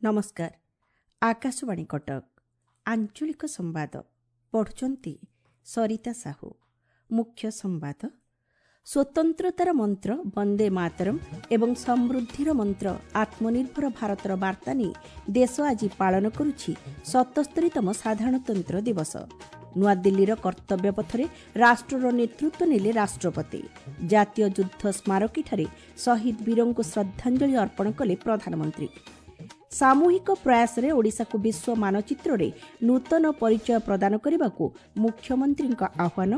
ନମସ୍କାର। ଆକାଶବାଣୀ କଟକ, ଆଞ୍ଚଳିକ ସମ୍ବାଦ ପଢ଼ୁଛନ୍ତି ସରିତା ସାହୁ। ମୁଖ୍ୟ ସମ୍ବାଦ। ସ୍ୱତନ୍ତ୍ରତାର ମନ୍ତ୍ର ବନ୍ଦେ ମାତରମ୍ ଏବଂ ସମୃଦ୍ଧିର ମନ୍ତ୍ର ଆତ୍ମନିର୍ଭର ଭାରତର ବାର୍ତ୍ତା ନେଇ ଦେଶ ଆଜି ପାଳନ କରୁଛି 77ତମ ସାଧାରଣତନ୍ତ୍ର ଦିବସ। ନୂଆଦିଲ୍ଲୀର କର୍ତ୍ତବ୍ୟ ପଥରେ ରାଷ୍ଟ୍ରର ନେତୃତ୍ୱ ନେଲେ ରାଷ୍ଟ୍ରପତି। ଜାତୀୟ ଯୁଦ୍ଧ ସ୍ମାରକୀଠାରେ ଶହୀଦ ବୀରଙ୍କୁ ଶ୍ରଦ୍ଧାଞ୍ଜଳି ଅର୍ପଣ କଲେ ପ୍ରଧାନମନ୍ତ୍ରୀ। ସାମୂହିକ ପ୍ରୟାସରେ ଓଡ଼ିଶାକୁ ବିଶ୍ୱ ମାନଚିତ୍ରରେ ନୂତନ ପରିଚୟ ପ୍ରଦାନ କରିବାକୁ ମୁଖ୍ୟମନ୍ତ୍ରୀଙ୍କ ଆହ୍ୱାନ।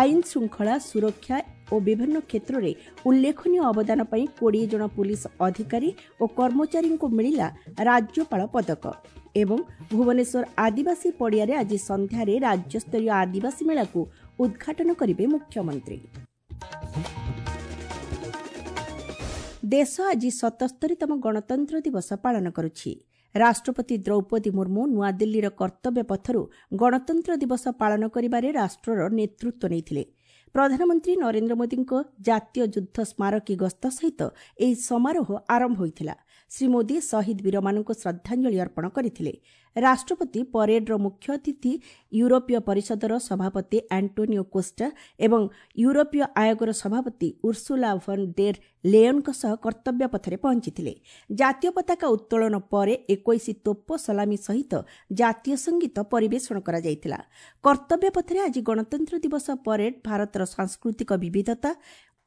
ଆଇନ ଶୃଙ୍ଖଳା ସୁରକ୍ଷା ଓ ବିଭିନ୍ନ କ୍ଷେତ୍ରରେ ଉଲ୍ଲେଖନୀୟ ଅବଦାନ ପାଇଁ 20 ଜଣ ପୁଲିସ ଅଧିକାରୀ ଓ କର୍ମଚାରୀଙ୍କୁ ମିଳିଲା ରାଜ୍ୟପାଳ ପଦକ। ଏବଂ ଭୁବନେଶ୍ୱର ଆଦିବାସୀ ପଡ଼ିଆରେ ଆଜି ସନ୍ଧ୍ୟାରେ ରାଜ୍ୟସ୍ତରୀୟ ଆଦିବାସୀ ମେଳାକୁ ଉଦ୍ଘାଟନ କରିବେ ମୁଖ୍ୟମନ୍ତ୍ରୀ। ଦେଶ ଆଜି 77ତମ ଗଣତନ୍ତ୍ର ଦିବସ ପାଳନ କରୁଛି। ରାଷ୍ଟ୍ରପତି ଦ୍ରୌପଦୀ ମୁର୍ମୁ ନୂଆଦିଲ୍ଲୀର କର୍ତ୍ତବ୍ୟ ପଥରୁ ଗଣତନ୍ତ୍ର ଦିବସ ପାଳନ କରିବାରେ ରାଷ୍ଟ୍ରର ନେତୃତ୍ୱ ନେଇଥିଲେ। ପ୍ରଧାନମନ୍ତ୍ରୀ ନରେନ୍ଦ୍ର ମୋଦିଙ୍କ ଜାତୀୟ ଯୁଦ୍ଧ ସ୍ମାରକୀ ଗସ୍ତ ସହିତ ଏହି ସମାରୋହ ଆରମ୍ଭ ହୋଇଥିଲା। ଶ୍ରୀ ମୋଦି ଶହୀଦ ବୀରମାନଙ୍କୁ ଶ୍ରଦ୍ଧାଞ୍ଜଳି ଅର୍ପଣ କରିଥିଲେ। ରାଷ୍ଟ୍ରପତି ପରେଡ୍ର ମୁଖ୍ୟ ଅତିଥି ୟୁରୋପୀୟ ପରିଷଦର ସଭାପତି ଆଣ୍ଟୋନିଓ କୋଷ୍ଟା ଏବଂ ୟୁରୋପୀୟ ଆୟୋଗର ସଭାପତି ଉର୍ସୁଲା ଭନ୍ ଡେର୍ ଲେୟନ୍ଙ୍କ ସହ କର୍ତ୍ତବ୍ୟ ପଥରେ ପହଞ୍ଚିଥିଲେ। ଜାତୀୟ ପତାକା ଉତ୍ତୋଳନ ପରେ 21 ତୋପ ସଲାମୀ ସହିତ ଜାତୀୟ ସଙ୍ଗୀତ ପରିବେଷଣ କରାଯାଇଥିଲା। କର୍ତ୍ତବ୍ୟ ପଥରେ ଆଜି ଗଣତନ୍ତ୍ର ଦିବସ ପରେଡ୍ ଭାରତର ସାଂସ୍କୃତିକ ବିବିଧତା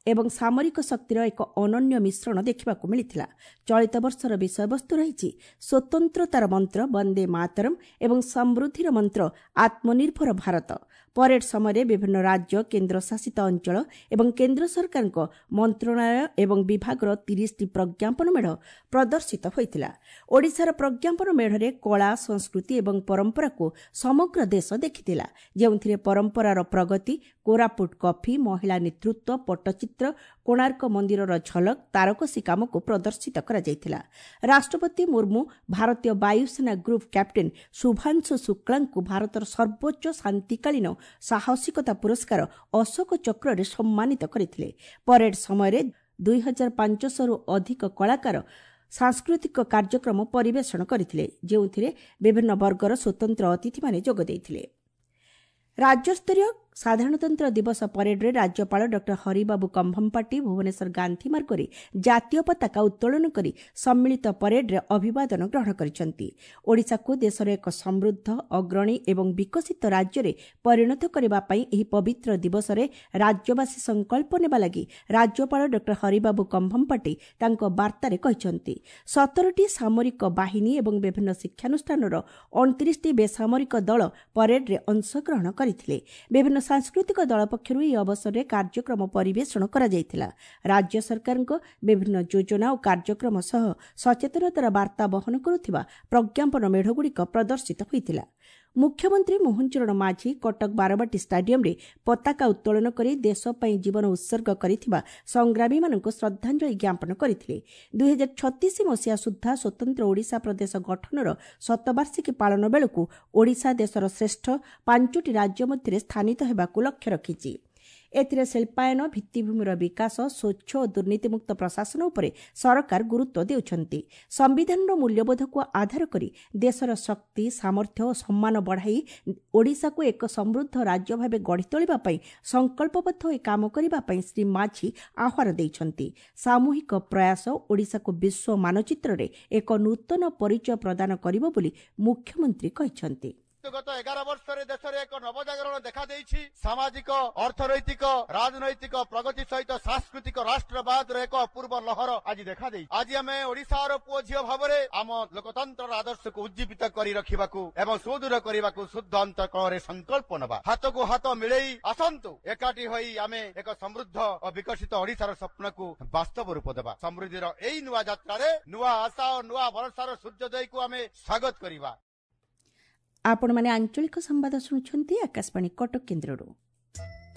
ଏବଂ ସାମରିକ ଶକ୍ତିର ଏକ ଅନନ୍ୟ ମିଶ୍ରଣ ଦେଖିବାକୁ ମିଳିଥିଲା। ଚଳିତ ବର୍ଷର ବିଷୟବସ୍ତୁ ରହିଛି ସ୍ୱତନ୍ତ୍ରତାର ମନ୍ତ୍ର ବନ୍ଦେ ମାତରମ୍ ଏବଂ ସମୃଦ୍ଧିର ମନ୍ତ୍ର ଆତ୍ମନିର୍ଭର ଭାରତ। ପରେଡ୍ ସମୟରେ ବିଭିନ୍ନ ରାଜ୍ୟ, କେନ୍ଦ୍ରଶାସିତ ଅଞ୍ଚଳ ଏବଂ କେନ୍ଦ୍ର ସରକାରଙ୍କ ମନ୍ତ୍ରଣାଳୟ ଏବଂ ବିଭାଗର 30ଟି ପ୍ରଜ୍ଞାପନ ମେଢ଼ ପ୍ରଦର୍ଶିତ ହୋଇଥିଲା। ଓଡ଼ିଶାର ପ୍ରଜ୍ଞାପନ ମେଢ଼ରେ କଳା, ସଂସ୍କୃତି ଏବଂ ପରମ୍ପରାକୁ ସମଗ୍ର ଦେଶ ଦେଖିଥିଲା, ଯେଉଁଥିରେ ପରମ୍ପରାର ପ୍ରଗତି, କୋରାପୁଟ କଫି, ମହିଳା ନେତୃତ୍ୱ, ପଟ୍ଟଚିତ୍ର, କୋଣାର୍କ ମନ୍ଦିରର ଝଲକ, ତାରକସି କାମକୁ ପ୍ରଦର୍ଶିତ କରାଯାଇଥିଲା। ରାଷ୍ଟ୍ରପତି ମୁର୍ମୁ ଭାରତୀୟ ବାୟୁସେନା ଗ୍ରୁପ୍ କ୍ୟାପ୍ଟେନ୍ ଶୁଭାଂଶୁ ଶୁକ୍ଳାଙ୍କୁ ଭାରତର ସର୍ବୋଚ୍ଚ ଶାନ୍ତିକାଳୀନ ସାହସିକତା ପୁରସ୍କାର ଅଶୋକ ଚକ୍ରରେ ସମ୍ମାନିତ କରିଥିଲେ। ପରେଡ୍ ସମୟରେ 2500ରୁ ଅଧିକ କଳାକାର ସାଂସ୍କୃତିକ କାର୍ଯ୍ୟକ୍ରମ ପରିବେଷଣ କରିଥିଲେ, ଯେଉଁଥିରେ ବିଭିନ୍ନ ବର୍ଗର ସ୍ୱତନ୍ତ୍ର ଅତିଥିମାନେ ଯୋଗ ଦେଇଥିଲେ। ରାଜ୍ୟସ୍ତରୀୟ ସାଧାରଣତନ୍ତ୍ର ଦିବସ ପରେଡ୍ରେ ରାଜ୍ୟପାଳ ଡକ୍ଟର ହରିବାବୁ କମ୍ଭମପାଟି ଭୁବନେଶ୍ୱର ଗାନ୍ଧୀ ମାର୍ଗରେ ଜାତୀୟ ପତାକା ଉତ୍ତୋଳନ କରି ସମ୍ମିଳିତ ପରେଡ୍ରେ ଅଭିବାଦନ ଗ୍ରହଣ କରିଛନ୍ତି। ଓଡ଼ିଶାକୁ ଦେଶର ଏକ ସମୃଦ୍ଧ, ଅଗ୍ରଣୀ ଏବଂ ବିକଶିତ ରାଜ୍ୟରେ ପରିଣତ କରିବା ପାଇଁ ଏହି ପବିତ୍ର ଦିବସରେ ରାଜ୍ୟବାସୀ ସଂକଳ୍ପ ନେବା ଲାଗି ରାଜ୍ୟପାଳ ଡକ୍ଟର ହରିବାବୁ କମ୍ଭମପାଟି ତାଙ୍କ ବାର୍ତ୍ତାରେ କହିଛନ୍ତି। 17ଟି ସାମରିକ ବାହିନୀ ଏବଂ ବିଭିନ୍ନ ଶିକ୍ଷାନୁଷ୍ଠାନର 29ଟି ବେସାମରିକ ଦଳ ପରେଡ୍ରେ ଅଂଶଗ୍ରହଣ କରିଥିଲେ। ବିଭିନ୍ନ ସାଂସ୍କୃତିକ ଦଳ ପକ୍ଷରୁ ଏହି ଅବସରରେ କାର୍ଯ୍ୟକ୍ରମ ପରିବେଷଣ କରାଯାଇଥିଲା। ରାଜ୍ୟ ସରକାରଙ୍କ ବିଭିନ୍ନ ଯୋଜନା ଓ କାର୍ଯ୍ୟକ୍ରମ ସହ ସଚେତନତାର ବାର୍ତ୍ତା ବହନ କରୁଥିବା ପ୍ରଜ୍ଞାପନ ମେଢ଼ଗୁଡ଼ିକ ପ୍ରଦର୍ଶିତ ହୋଇଥିଲା। ମୁଖ୍ୟମନ୍ତ୍ରୀ ମୋହନ ଚରଣ ମାଝୀ କଟକ ବାରବାଟୀ ଷ୍ଟାଡିୟମରେ ପତାକା ଉତ୍ତୋଳନ କରି ଦେଶ ପାଇଁ ଜୀବନ ଉତ୍ସର୍ଗ କରିଥିବା ସଂଗ୍ରାମୀମାନଙ୍କୁ ଶ୍ରଦ୍ଧାଞ୍ଜଳି ଜ୍ଞାପନ କରିଥିଲେ। 2036 ମସିହା ସୁଦ୍ଧା ସ୍ୱତନ୍ତ୍ର ଓଡ଼ିଶା ପ୍ରଦେଶ ଗଠନର ଶତବାର୍ଷିକୀ ପାଳନ ବେଳକୁ ଓଡ଼ିଶା ଦେଶର ଶ୍ରେଷ୍ଠ 5ଟି ରାଜ୍ୟ ମଧ୍ୟରେ ସ୍ଥାନିତ ହେବାକୁ ଲକ୍ଷ୍ୟ ରଖିଛି। ଏଥିରେ ଶିଳ୍ପାୟନ, ଭିତ୍ତିଭୂମିର ବିକାଶ, ସ୍ୱଚ୍ଛ ଓ ଦୁର୍ନୀତିମୁକ୍ତ ପ୍ରଶାସନ ଉପରେ ସରକାର ଗୁରୁତ୍ୱ ଦେଉଛନ୍ତି। ସମ୍ବିଧାନର ମୂଲ୍ୟବୋଧକୁ ଆଧାର କରି ଦେଶର ଶକ୍ତି, ସାମର୍ଥ୍ୟ ଓ ସମ୍ମାନ ବଢ଼ାଇ ଓଡ଼ିଶାକୁ ଏକ ସମୃଦ୍ଧ ରାଜ୍ୟ ଭାବେ ଗଢ଼ି ତୋଳିବା ପାଇଁ ସଂକଳ୍ପବଦ୍ଧ ହୋଇ କାମ କରିବା ପାଇଁ ଶ୍ରୀ ମାଝୀ ଆହ୍ୱାନ ଦେଇଛନ୍ତି। ସାମୂହିକ ପ୍ରୟାସ ଓଡ଼ିଶାକୁ ବିଶ୍ୱ ମାନଚିତ୍ରରେ ଏକ ନୂତନ ପରିଚୟ ପ୍ରଦାନ କରିବ ବୋଲି ମୁଖ୍ୟମନ୍ତ୍ରୀ କହିଛନ୍ତି। ଗତ 11 ବର୍ଷରେ ଦେଶରେ ଏକ ନବଜାଗରଣ ଦେଖାଦେଇଛି। ସାମାଜିକ, ଅର୍ଥନୈତିକ, ରାଜନୈତିକ ପ୍ରଗତି ସହିତ ସାଂସ୍କୃତିକ ରାଷ୍ଟ୍ରବାଦର ଏକ ଅପୂର୍ବ ଲହର ଆଜି ଦେଖାଦେଇଛି। ଆଜି ଆମେ ଓଡ଼ିଶାର ପୁଅ ଝିଅ ଭାବରେ ଆମ ଲୋକତନ୍ତ୍ରର ଆଦର୍ଶକୁ ଉଜ୍ଜୀବିତ କରି ରଖିବାକୁ ଏବଂ ସୁଦୃଢ଼ କରିବାକୁ ଶୁଦ୍ଧ ଅନ୍ତଃକରଣରେ ସଂକଳ୍ପ ନେବା। ହାତକୁ ହାତ ମିଳେଇ ଆସନ୍ତୁ ଏକାଠି ହୋଇ ଆମେ ଏକ ସମୃଦ୍ଧ ଓ ବିକଶିତ ଓଡ଼ିଶାର ସ୍ୱପ୍ନକୁ ବାସ୍ତବ ରୂପ ଦେବା। ସମୃଦ୍ଧିର ଏଇ ନୂଆ ଯାତ୍ରାରେ ନୂଆ ଆଶା ଓ ନୂଆ ଭରସାର ସୂର୍ଯ୍ୟୋଦୟକୁ ଆମେ ସ୍ୱାଗତ କରିବା। ଆପଣମାନେ ଆଞ୍ଚଳିକ ସମ୍ବାଦ ଶୁଣୁଛନ୍ତି ଆକାଶବାଣୀ କଟକ କେନ୍ଦ୍ରରୁ।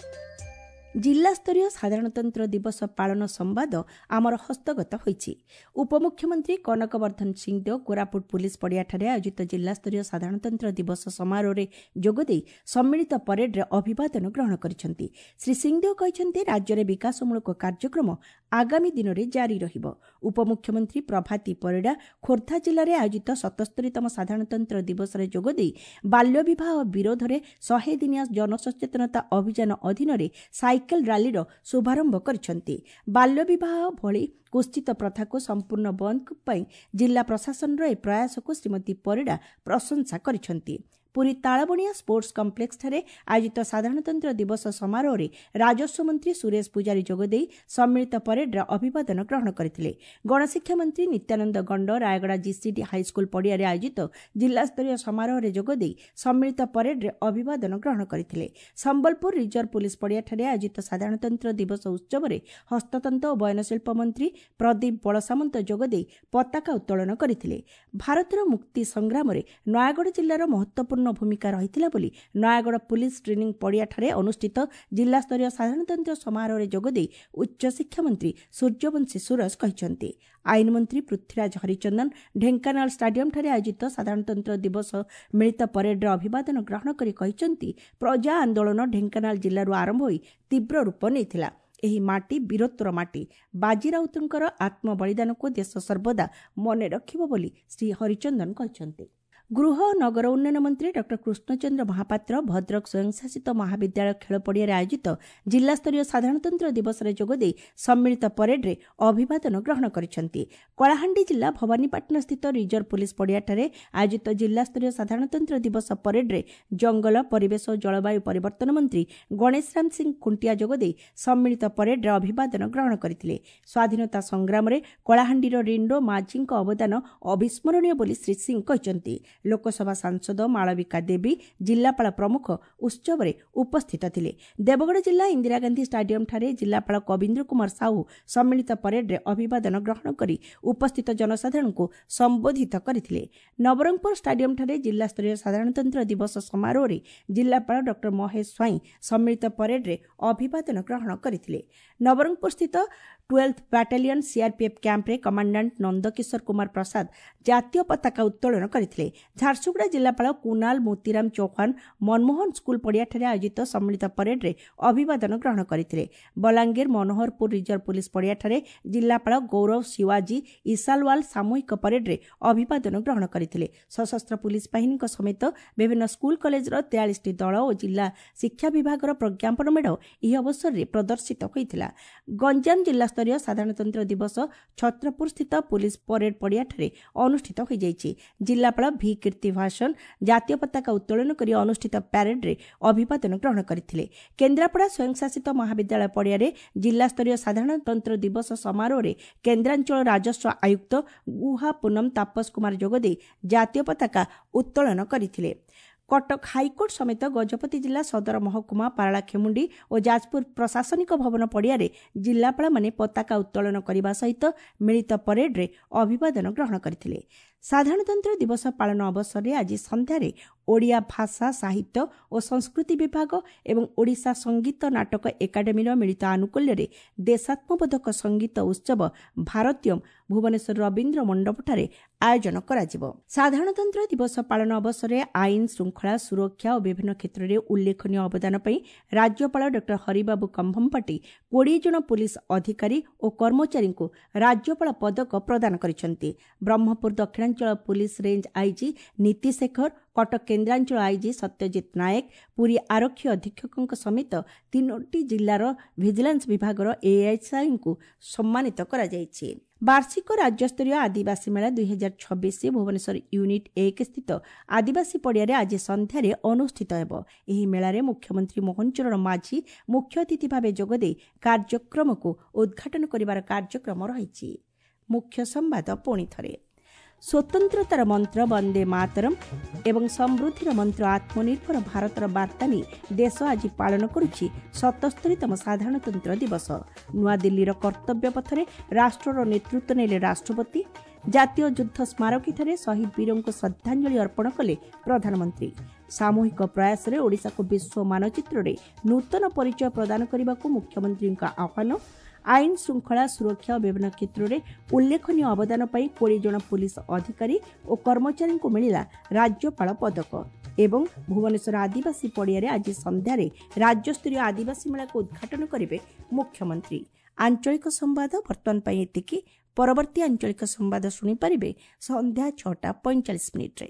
ଜିଲ୍ଲାସ୍ତରୀୟ ସାଧାରଣତନ୍ତ୍ର ଦିବସ ପାଳନ ସମ୍ବାଦ ଆମର ହସ୍ତଗତ ହୋଇଛି। ଉପମୁଖ୍ୟମନ୍ତ୍ରୀ କନକ ବର୍ଦ୍ଧନ ସିଂଦେଓ କୋରାପୁଟ ପୁଲିସ ପଡ଼ିଆଠାରେ ଆୟୋଜିତ ଜିଲ୍ଲାସ୍ତରୀୟ ସାଧାରଣତନ୍ତ୍ର ଦିବସ ସମାରୋହରେ ଯୋଗଦେଇ ସମ୍ମିଳିତ ପରେଡ୍ରେ ଅଭିବାଦନ ଗ୍ରହଣ କରିଛନ୍ତି। ଶ୍ରୀ ସିଂଦେଓ କହିଛନ୍ତି, ରାଜ୍ୟରେ ବିକାଶମୂଳକ କାର୍ଯ୍ୟକ୍ରମ ଆଗାମୀ ଦିନରେ ଜାରି ରହିବ। ଉପମୁଖ୍ୟମନ୍ତ୍ରୀ ପ୍ରଭାତୀ ପରିଡ଼ା ଖୋର୍ଦ୍ଧା ଜିଲ୍ଲାରେ ଆୟୋଜିତ 77ତମ ସାଧାରଣତନ୍ତ୍ର ଦିବସରେ ଯୋଗଦେଇ ବାଲ୍ୟବିବାହ ବିରୋଧରେ 100 ଦିନିଆ ଜନସଚେତନତା ଅଭିଯାନ ଅଧୀନରେ ସାଇକେଲ ରାଲିର ଶୁଭାରମ୍ଭ କରିଛନ୍ତି। ବାଲ୍ୟବିବାହ ଭଳି କୁତ୍ସିତ ପ୍ରଥାକୁ ସମ୍ପୂର୍ଣ୍ଣ ବନ୍ଦ ପାଇଁ ଜିଲ୍ଲା ପ୍ରଶାସନର ଏହି ପ୍ରୟାସକୁ ଶ୍ରୀମତୀ ପରିଡ଼ା ପ୍ରଶଂସା କରିଛନ୍ତି। ପୁରୀ ତାଳବଣିଆ ସ୍ପୋର୍ଟସ କମ୍ପ୍ଲେକ୍ସଠାରେ ଆୟୋଜିତ ସାଧାରଣତନ୍ତ୍ର ଦିବସ ସମାରୋହରେ ରାଜସ୍ୱ ମନ୍ତ୍ରୀ ସୁରେଶ ପୂଜାରୀ ଯୋଗଦେଇ ସମ୍ମିଳିତ ପରେଡ୍ର ଅଭିବାଦନ ଗ୍ରହଣ କରିଥିଲେ। ଗଣଶିକ୍ଷା ମନ୍ତ୍ରୀ ନିତ୍ୟାନନ୍ଦ ଗଣ୍ଡ ରାୟଗଡ଼ା ଜିସିଡି ହାଇସ୍କୁଲ ପଡ଼ିଆରେ ଆୟୋଜିତ ଜିଲ୍ଲାସ୍ତରୀୟ ସମାରୋହରେ ଯୋଗଦେଇ ସମ୍ମିଳିତ ପରେଡ୍ରେ ଅଭିବାଦନ ଗ୍ରହଣ କରିଥିଲେ। ସମ୍ବଲପୁର ରିଜର୍ଭ ପୁଲିସ ପଡ଼ିଆଠାରେ ଆୟୋଜିତ ସାଧାରଣତନ୍ତ୍ର ଦିବସ ଉତ୍ସବରେ ହସ୍ତତନ୍ତ ଓ ବୟନଶିଳ୍ପ ମନ୍ତ୍ରୀ ପ୍ରଦୀପ ବଳସାମନ୍ତ ଯୋଗଦେଇ ପତାକା ଉତ୍ତୋଳନ କରିଥିଲେ। ଭାରତର ମୁକ୍ତି ସଂଗ୍ରାମରେ ନୟାଗଡ଼ ଜିଲ୍ଲାର ମହତ୍ୱପୂର୍ଣ୍ଣ ଭୂମିକା ରହିଥିଲା ବୋଲି ନୟାଗଡ଼ ପୁଲିସ ଟ୍ରେନିଂ ପଡ଼ିଆଠାରେ ଅନୁଷ୍ଠିତ ଜିଲ୍ଲାସ୍ତରୀୟ ସାଧାରଣତନ୍ତ୍ର ସମାରୋହରେ ଯୋଗଦେଇ ଉଚ୍ଚଶିକ୍ଷା ମନ୍ତ୍ରୀ ସୂର୍ଯ୍ୟବଂଶୀ ସୁରଜ କହିଛନ୍ତି। ଆଇନ ମନ୍ତ୍ରୀ ପୃଥ୍ୱୀରାଜ ହରିଚନ୍ଦନ ଢେଙ୍କାନାଳ ଷ୍ଟାଡିୟମଠାରେ ଆୟୋଜିତ ସାଧାରଣତନ୍ତ୍ର ଦିବସ ମିଳିତ ପରେଡ୍ର ଅଭିବାଦନ ଗ୍ରହଣ କରି କହିଛନ୍ତି, ପ୍ରଜା ଆନ୍ଦୋଳନ ଢେଙ୍କାନାଳ ଜିଲ୍ଲାରୁ ଆରମ୍ଭ ହୋଇ ତୀବ୍ର ରୂପ ନେଇଥିଲା। ଏହି ମାଟି ବୀରତ୍ୱର ମାଟି। ବାଜି ରାଉତଙ୍କର ଆତ୍ମବଳିଦାନକୁ ଦେଶ ସର୍ବଦା ମନେ ରଖିବ ବୋଲି ଶ୍ରୀ ହରିଚନ୍ଦନ କହିଛନ୍ତି। ଗୃହ ଓ ନଗର ଉନ୍ନୟନ ମନ୍ତ୍ରୀ ଡକ୍ଟର କୃଷ୍ଣଚନ୍ଦ୍ର ମହାପାତ୍ର ଭଦ୍ରକ ସ୍ୱୟଂଶାସିତ ମହାବିଦ୍ୟାଳୟ ଖେଳ ପଡ଼ିଆରେ ଆୟୋଜିତ ଜିଲ୍ଲାସ୍ତରୀୟ ସାଧାରଣତନ୍ତ୍ର ଦିବସରେ ଯୋଗଦେଇ ସମ୍ମିଳିତ ପରେଡ୍ରେ ଅଭିବାଦନ ଗ୍ରହଣ କରିଛନ୍ତି। କଳାହାଣ୍ଡି ଜିଲ୍ଲା ଭବାନୀପାଟଣାସ୍ଥିତ ରିଜର୍ଭ ପୁଲିସ ପଡ଼ିଆଠାରେ ଆୟୋଜିତ ଜିଲ୍ଲାସ୍ତରୀୟ ସାଧାରଣତନ୍ତ୍ର ଦିବସ ପରେଡ୍ରେ ଜଙ୍ଗଲ, ପରିବେଶ ଓ ଜଳବାୟୁ ପରିବର୍ତ୍ତନ ମନ୍ତ୍ରୀ ଗଣେଶରାମ ସିଂ ଖୁଣ୍ଟିଆ ଯୋଗଦେଇ ସମ୍ମିଳିତ ପରେଡ୍ରେ ଅଭିବାଦନ ଗ୍ରହଣ କରିଥିଲେ। ସ୍ୱାଧୀନତା ସଂଗ୍ରାମରେ କଳାହାଣ୍ଡିର ରିଣ୍ଡୋ ମାଝୀଙ୍କ ଅବଦାନ ଅବିସ୍ମରଣୀୟ ବୋଲି ଶ୍ରୀ ସିଂ କହିଛନ୍ତି। ଲୋକସଭା ସାଂସଦ ମାଳବିକା ଦେବୀ, ଜିଲ୍ଲାପାଳ ପ୍ରମୁଖ ଉତ୍ସବରେ ଉପସ୍ଥିତ ଥିଲେ। ଦେବଗଡ଼ ଜିଲ୍ଲା ଇନ୍ଦିରା ଗାନ୍ଧୀ ଷ୍ଟାଡିୟମଠାରେ ଜିଲ୍ଲାପାଳ କବୀନ୍ଦ୍ର କୁମାର ସାହୁ ସମ୍ମିଳିତ ପରେଡ୍ରେ ଅଭିବାଦନ ଗ୍ରହଣ କରି ଉପସ୍ଥିତ ଜନସାଧାରଣଙ୍କୁ ସମ୍ବୋଧିତ କରିଥିଲେ। ନବରଙ୍ଗପୁର ଷ୍ଟାଡିୟମଠାରେ ଜିଲ୍ଲାସ୍ତରୀୟ ସାଧାରଣତନ୍ତ୍ର ଦିବସ ସମାରୋହରେ ଜିଲ୍ଲାପାଳ ଡକ୍ଟର ମହେଶ ସ୍ୱାଇଁ ସମ୍ମିଳିତ ପରେଡ୍ରେ ଅଭିବାଦନ ଗ୍ରହଣ କରିଥିଲେ। ନବରଙ୍ଗପୁରସ୍ଥିତ 12th battalion CRPF କ୍ୟାମ୍ପରେ କମାଣ୍ଡାଣ୍ଟ ନନ୍ଦକିଶୋର କୁମାର ପ୍ରସାଦ ଜାତୀୟ ପତାକା ଉତ୍ତୋଳନ କରିଥିଲେ। ଝାରସୁଗୁଡ଼ା ଜିଲ୍ଲାପାଳ କୁନାଲ ମୋତିରାମ ଚୌହାନ ମନମୋହନ ସ୍କୁଲ ପଡ଼ିଆଠାରେ ଆୟୋଜିତ ସମ୍ମିଳିତ ପରେଡ୍ରେ ଅଭିବାଦନ ଗ୍ରହଣ କରିଥିଲେ। ବଲାଙ୍ଗୀର ମନୋହରପୁର ରିଜର୍ଭ ପୁଲିସ ପଡ଼ିଆଠାରେ ଜିଲ୍ଲାପାଳ ଗୌରବ ଶିୱାଜୀ ଇସାଲୱାଲ ସାମୂହିକ ପରେଡ୍ରେ ଅଭିବାଦନ ଗ୍ରହଣ କରିଥିଲେ। ସଶସ୍ତ୍ର ପୁଲିସ ବାହିନୀଙ୍କ ସମେତ ବିଭିନ୍ନ ସ୍କୁଲ କଲେଜର 43ଟି ଦଳ ଓ ଜିଲ୍ଲା ଶିକ୍ଷା ବିଭାଗର ପ୍ରଜ୍ଞାପନ ମେଢ଼ ଏହି ଅବସରରେ ପ୍ରଦର୍ଶିତ ହୋଇଥିଲା। ଗଞ୍ଜାମ ଜିଲ୍ଲାସ୍ତରୀୟ ସାଧାରଣତନ୍ତ୍ର ଦିବସ ଛତ୍ରପୁରସ୍ଥିତ ପୁଲିସ ପରେଡ୍ ପଡ଼ିଆଠାରେ ଅନୁଷ୍ଠିତ ହୋଇଯାଇଛି। ଜିଲ୍ଲାପାଳ ଭି କୀର୍ତ୍ତି ଭାସନ ଜାତୀୟ ପତାକା ଉତ୍ତୋଳନ କରି ଅନୁଷ୍ଠିତ ପ୍ୟାରେଡ୍ରେ ଅଭିବାଦନ ଗ୍ରହଣ କରିଥିଲେ। କେନ୍ଦ୍ରାପଡ଼ା ସ୍ୱୟଂଶାସିତ ମହାବିଦ୍ୟାଳୟ ପଡ଼ିଆରେ ଜିଲ୍ଲାସ୍ତରୀୟ ସାଧାରଣତନ୍ତ୍ର ଦିବସ ସମାରୋହରେ କେନ୍ଦ୍ରାଞ୍ଚଳ ରାଜସ୍ୱ ଆୟୁକ୍ତ ଗୁହା ପୁନମ ତାପସ କୁମାର ଯୋଗଦେଇ ଜାତୀୟ ପତାକା ଉତ୍ତୋଳନ କରିଥିଲେ। କଟକ ହାଇକୋର୍ଟ ସମେତ ଗଜପତି ଜିଲ୍ଲା ସଦର ମହକୁମା, ପାରଳାଖେମୁଣ୍ଡି ଓ ଯାଜପୁର ପ୍ରଶାସନିକ ଭବନ ପଡ଼ିଆରେ ଜିଲ୍ଲାପାଳମାନେ ପତାକା ଉତ୍ତୋଳନ କରିବା ସହିତ ମିଳିତ ପରେଡ୍ରେ ଅଭିବାଦନ ଗ୍ରହଣ କରିଥିଲେ। ସାଧାରଣତନ୍ତ୍ର ଦିବସ ପାଳନ ଅବସରରେ ଆଜି ସନ୍ଧ୍ୟାରେ ଓଡ଼ିଆ ଭାଷା, ସାହିତ୍ୟ ଓ ସଂସ୍କୃତି ବିଭାଗ ଏବଂ ଓଡ଼ିଶା ସଙ୍ଗୀତ ନାଟକ ଏକାଡେମୀର ମିଳିତ ଆନୁକୂଲ୍ୟରେ ଦେଶାତ୍ମବୋଧକ ସଙ୍ଗୀତ ଉତ୍ସବ ଭାରତୀୟମ୍ ଭୁବନେଶ୍ୱର ରବୀନ୍ଦ୍ର ମଣ୍ଡପଠାରେ ଆୟୋଜନ କରାଯିବ। ସାଧାରଣତନ୍ତ୍ର ଦିବସ ପାଳନ ଅବସରରେ ଆଇନ ଶୃଙ୍ଖଳା ସୁରକ୍ଷା ଓ ବିଭିନ୍ନ କ୍ଷେତ୍ରରେ ଉଲ୍ଲେଖନୀୟ ଅବଦାନ ପାଇଁ ରାଜ୍ୟପାଳ ଡକ୍ଟର ହରିବାବୁ କମ୍ଭମପାଟି 20 ଜଣ ପୁଲିସ ଅଧିକାରୀ ଓ କର୍ମଚାରୀଙ୍କୁ ରାଜ୍ୟପାଳ ପଦକ ପ୍ରଦାନ କରିଛନ୍ତି। ବ୍ରହ୍ମପୁର ଦକ୍ଷିଣାଞ୍ଚଳ ପୁଲିସ ରେଞ୍ଜ ଆଇଜି ନୀତି ଶେଖର, କଟକ କେନ୍ଦ୍ରାଞ୍ଚଳ ଆଇଜି ସତ୍ୟଜିତ ନାୟକ, ପୁରୀ ଆରକ୍ଷୀ ଅଧୀକ୍ଷକଙ୍କ ସମେତ 3ଟି ଜିଲ୍ଲାର ଭିଜିଲାନ୍ସ ବିଭାଗର ଏଏସ୍ଆଇଙ୍କୁ ସମ୍ମାନିତ କରାଯାଇଛି। ବାର୍ଷିକ ରାଜ୍ୟସ୍ତରୀୟ ଆଦିବାସୀ ମେଳା 2026 ଭୁବନେଶ୍ୱର ୟୁନିଟ୍ 1 ସ୍ଥିତ ଆଦିବାସୀ ପଡ଼ିଆରେ ଆଜି ସନ୍ଧ୍ୟାରେ ଅନୁଷ୍ଠିତ ହେବ। ଏହି ମେଳାରେ ମୁଖ୍ୟମନ୍ତ୍ରୀ ମୋହନ ଚରଣ ମାଝୀ ମୁଖ୍ୟ ଅତିଥି ଭାବେ ଯୋଗଦେଇ କାର୍ଯ୍ୟକ୍ରମକୁ ଉଦ୍ଘାଟନ କରିବାର କାର୍ଯ୍ୟକ୍ରମ ରହିଛି। ମୁଖ୍ୟ ସମ୍ବାଦ ପୁଣି ଥରେ। ସ୍ୱତନ୍ତ୍ରତାର ମନ୍ତ୍ର ବନ୍ଦେ ମାତରମ୍ ଏବଂ ସମୃଦ୍ଧିର ମନ୍ତ୍ର ଆତ୍ମନିର୍ଭର ଭାରତର ବାର୍ତ୍ତା ନେଇ ଦେଶ ଆଜି ପାଳନ କରୁଛି 77ତମ ସାଧାରଣତନ୍ତ୍ର ଦିବସ। ନୂଆଦିଲ୍ଲୀର କର୍ତ୍ତବ୍ୟ ପଥରେ ରାଷ୍ଟ୍ରର ନେତୃତ୍ୱ ନେଲେ ରାଷ୍ଟ୍ରପତି। ଜାତୀୟ ଯୁଦ୍ଧ ସ୍ମାରକୀଠାରେ ଶହୀଦ ବୀରଙ୍କୁ ଶ୍ରଦ୍ଧାଞ୍ଜଳି ଅର୍ପଣ କଲେ ପ୍ରଧାନମନ୍ତ୍ରୀ। ସାମୂହିକ ପ୍ରୟାସରେ ଓଡ଼ିଶାକୁ ବିଶ୍ୱ ମାନଚିତ୍ରରେ ନୂତନ ପରିଚୟ ପ୍ରଦାନ କରିବାକୁ ମୁଖ୍ୟମନ୍ତ୍ରୀଙ୍କ ଆହ୍ୱାନ। ଆଇନ ଶୃଙ୍ଖଳା ସୁରକ୍ଷା ଓ ବିଭିନ୍ନ କ୍ଷେତ୍ରରେ ଉଲ୍ଲେଖନୀୟ ଅବଦାନ ପାଇଁ 20 ଜଣ ପୁଲିସ ଅଧିକାରୀ ଓ କର୍ମଚାରୀଙ୍କୁ ମିଳିଲା ରାଜ୍ୟପାଳ ପଦକ। ଏବଂ ଭୁବନେଶ୍ୱର ଆଦିବାସୀ ପଡ଼ିଆରେ ଆଜି ସନ୍ଧ୍ୟାରେ ରାଜ୍ୟସ୍ତରୀୟ ଆଦିବାସୀ ମେଳାକୁ ଉଦ୍ଘାଟନ କରିବେ ମୁଖ୍ୟମନ୍ତ୍ରୀ। ଆଞ୍ଚଳିକ ସମ୍ବାଦ ବର୍ତ୍ତମାନ ପାଇଁ ଏତିକି। ପରବର୍ତ୍ତୀ ଆଞ୍ଚଳିକ ସମ୍ବାଦ ଶୁଣିପାରିବେ ସନ୍ଧ୍ୟା 6ଟା 45 ମିନିଟ୍ରେ।